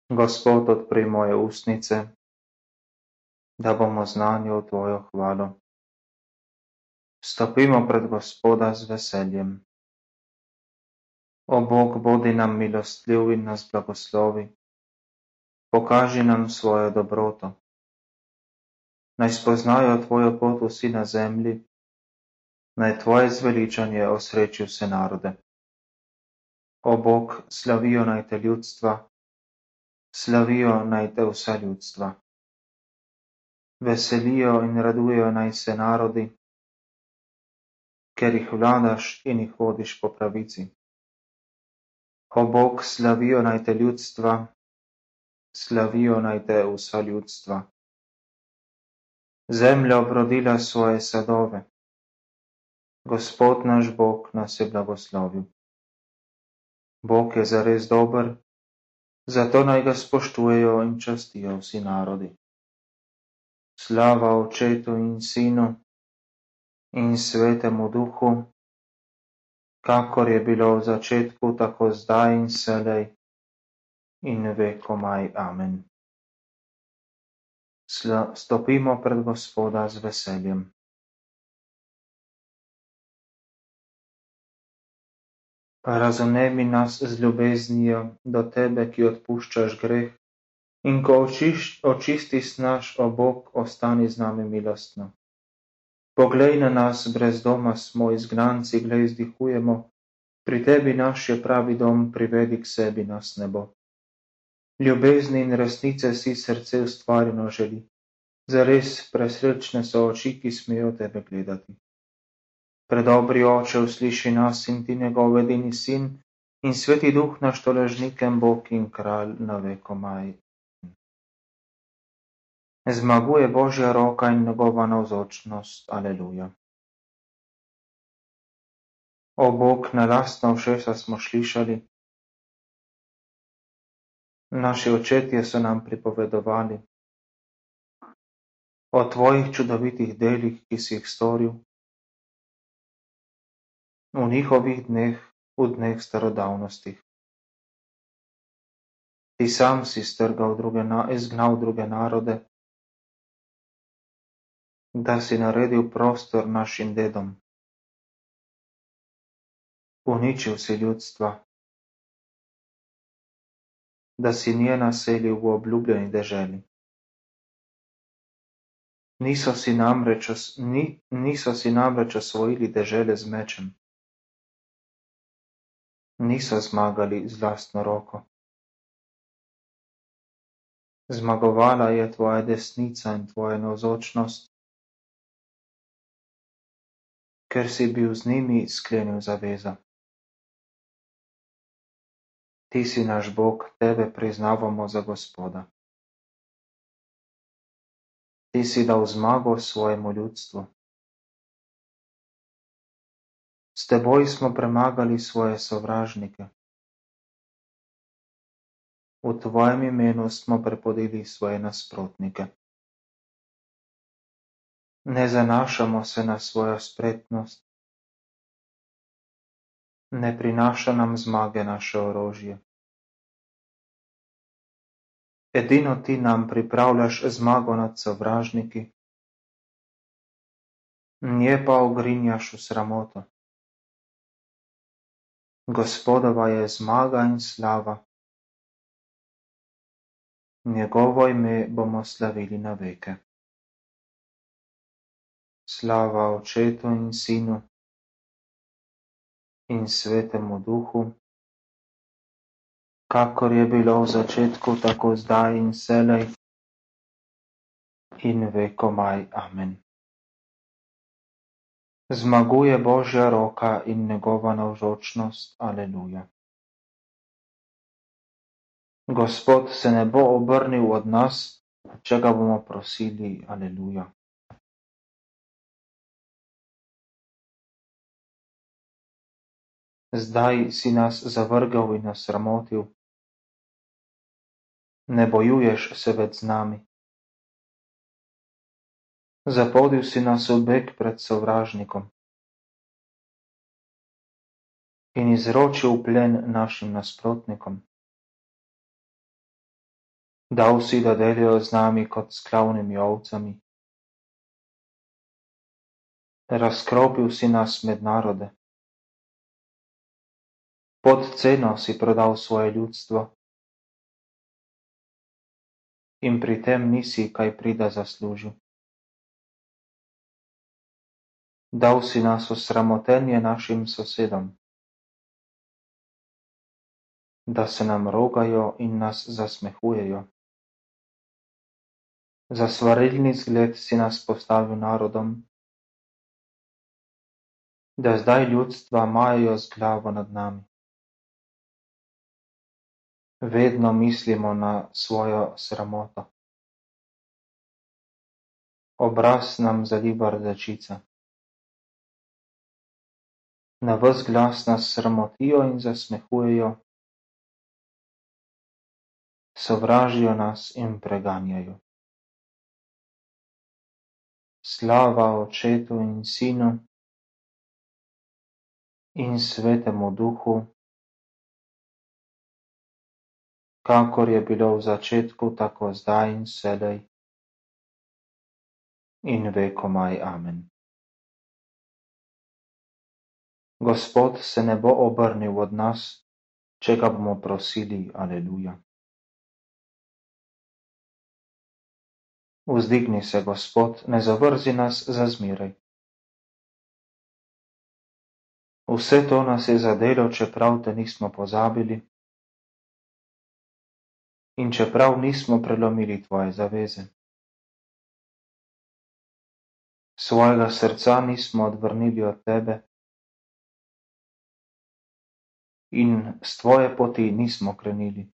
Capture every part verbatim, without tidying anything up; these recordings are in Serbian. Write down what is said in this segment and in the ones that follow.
Gospod, odpri moje ustnice, da bomo znani v Tvojo hvalo. Stopimo pred Gospoda z veseljem. O Bog, bodi nam milostljiv in nas blagoslovi. Pokaži nam svojo dobroto. Naj spoznajo Tvojo pot vsi na zemlji, naj Tvoje zveličanje osreči vse narode. O Bog, slavijo naj te ljudstva, slavijo naj te vsa ljudstva. Veselijo in radujejo naj se narodi, ker jih vladaš in jih vodiš po pravici. O Bog, slavijo naj te ljudstva, slavijo naj te vsa ljudstva. Zemlja obrodila svoje sadove. Gospod naš Bog nas je blagoslovil. Bog je zares dober, zato naj ga spoštujejo in častijo vsi narodi. Slava Očetu in Sinu in Svetemu Duhu, kakor je bilo v začetku, tako zdaj in vselej in vekomaj. Amen. Sla, stopimo pred Gospoda z veseljem. Razumemi nas z ljubeznijo do Tebe, ki odpuščaš greh, in ko očiš, očistiš naš, o Bog, ostani z nami milostno. Poglej na nas, brez doma smo, izgnanci, glej, vzdihujemo, pri Tebi naš je pravi dom, privedi k sebi nas nebo. Ljubezni in resnice si srce ustvarjeno želi, zares presrečne so oči, ki smejo Tebe gledati. Predobri Oče, usliši nas in Ti njegov edini Sin in Sveti Duh naš tolažnikem Bog in Kralj na vekomaj. Zmaguje Božja roka in njegova navzočnost. Aleluja. O Bog, na lastna ušesa smo slišali, naši očetje so nam pripovedovali o Tvojih čudovitih delih, ki si jih storil v njihovih dneh, v dneh starodavnostih. Ti sam si strgal druge, izgnal druge narode, da si naredil prostor našim dedom. Uničil si ljudstva, da si nje naselil v obljubljeni deželi. Niso si namreč, ni, niso si namreč osvojili dežele z mečem. Niso zmagali z lastno roko. Zmagovala je Tvoja desnica in Tvoja navzočnost, ker si bil z njimi sklenil zavezo. Ti si naš Bog, Tebe priznavamo za Gospoda. Ti si dal zmago svojemu ljudstvu. S Teboj smo premagali svoje sovražnike. V Tvojem imenu smo prepodili svoje nasprotnike. Ne zanašamo se na svojo spretnost, ne prinaša nam zmage naše orožje. Edino Ti nam pripravljaš zmago nad sovražniki, nje pa ogrinjaš v sramoto. Gospodova je zmaga in slava, njegovo ime bomo slavili na veke. Slava Očetu in Sinu in Svetemu Duhu, kakor je bilo v začetku, tako zdaj in vselej in vekomaj. Amen. Zmaguje Božja roka in njegova navzočnost. Aleluja. Gospod se ne bo obrnil od nas, če ga bomo prosili. Aleluja. Zdaj si nas zavrgel in nas sramotil. Ne bojuješ se več z nami. Zapodil si nas v beg pred sovražnikom in izročil plen našim nasprotnikom. Dal si, da delijo z nami kot s klavnimi ovcami. Razkropil si nas med narode. Pod ceno si prodal svoje ljudstvo in pri tem nisi kaj prida zaslužil. Dal si nas v sramotenje našim sosedom, da se nam rogajo in nas zasmehujejo. Za svarilni zgled si nas postavil narodom, da zdaj ljudstva majajo z glavo nad nami. Vedno mislimo na svojo sramoto. Obraz nam zaliva rdečica. Na ves glas nas sramotijo in zasmehujejo, sovražijo nas in preganjajo. Slava Očetu in Sinu in Svetemu Duhu, kakor je bilo v začetku, tako zdaj in vselej in vekomaj. Amen. Gospod se ne bo obrnil od nas, če ga bomo prosili. Aleluja. Vzdigni se, Gospod, ne zavrzi nas za zmeraj. Vse to nas je zadelo, čeprav te nismo pozabili in čeprav nismo prelomili tvoje zaveze. Svojega srca nismo odvrnili od tebe in s tvoje poti nismo krenili.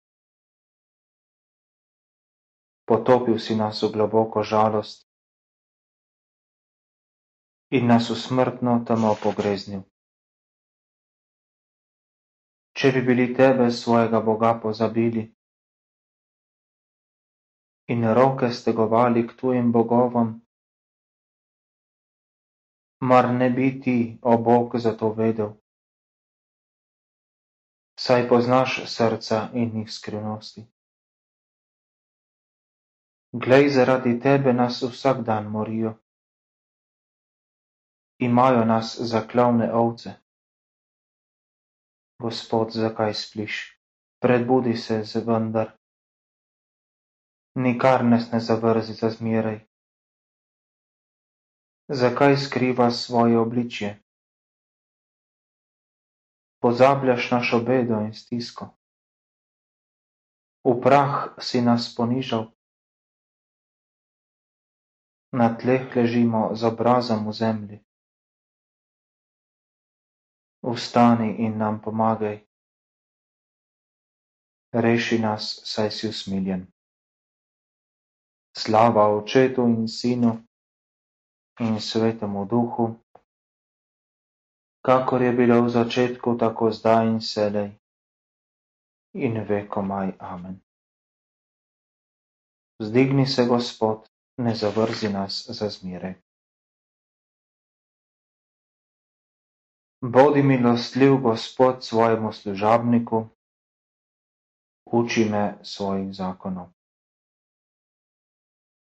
Potopil si nas v globoko žalost in nas v smrtno temo pogreznil. Če bi bili tebe, svojega Boga, pozabili in roke stegovali k tujim bogovom, mar ne bi ti, o Bog, za to vedel? Saj poznaš srca in njih skrivnosti. Glej, zaradi tebe nas vsak dan morijo. Imajo nas za klavne ovce. Gospod, zakaj spliš? Prebudi se zvendar. Nikar nas ne zavrzi za zmeraj. Zakaj skriva svoje obličje? Pozabljaš našo bedo in stisko. V prah si nas ponižal. Na tleh ležimo z obrazom v zemlji. Vstani in nam pomagaj. Reši nas, saj si usmiljen. Slava Očetu in Sinu in Svetemu Duhu, kakor je bilo v začetku, tako zdaj in vselej in vekomaj. Amen. Vzdigni se, Gospod, ne zavrzi nas za zmeraj. Bodi milostljiv, Gospod, svojemu služabniku, uči me svojih zakonov.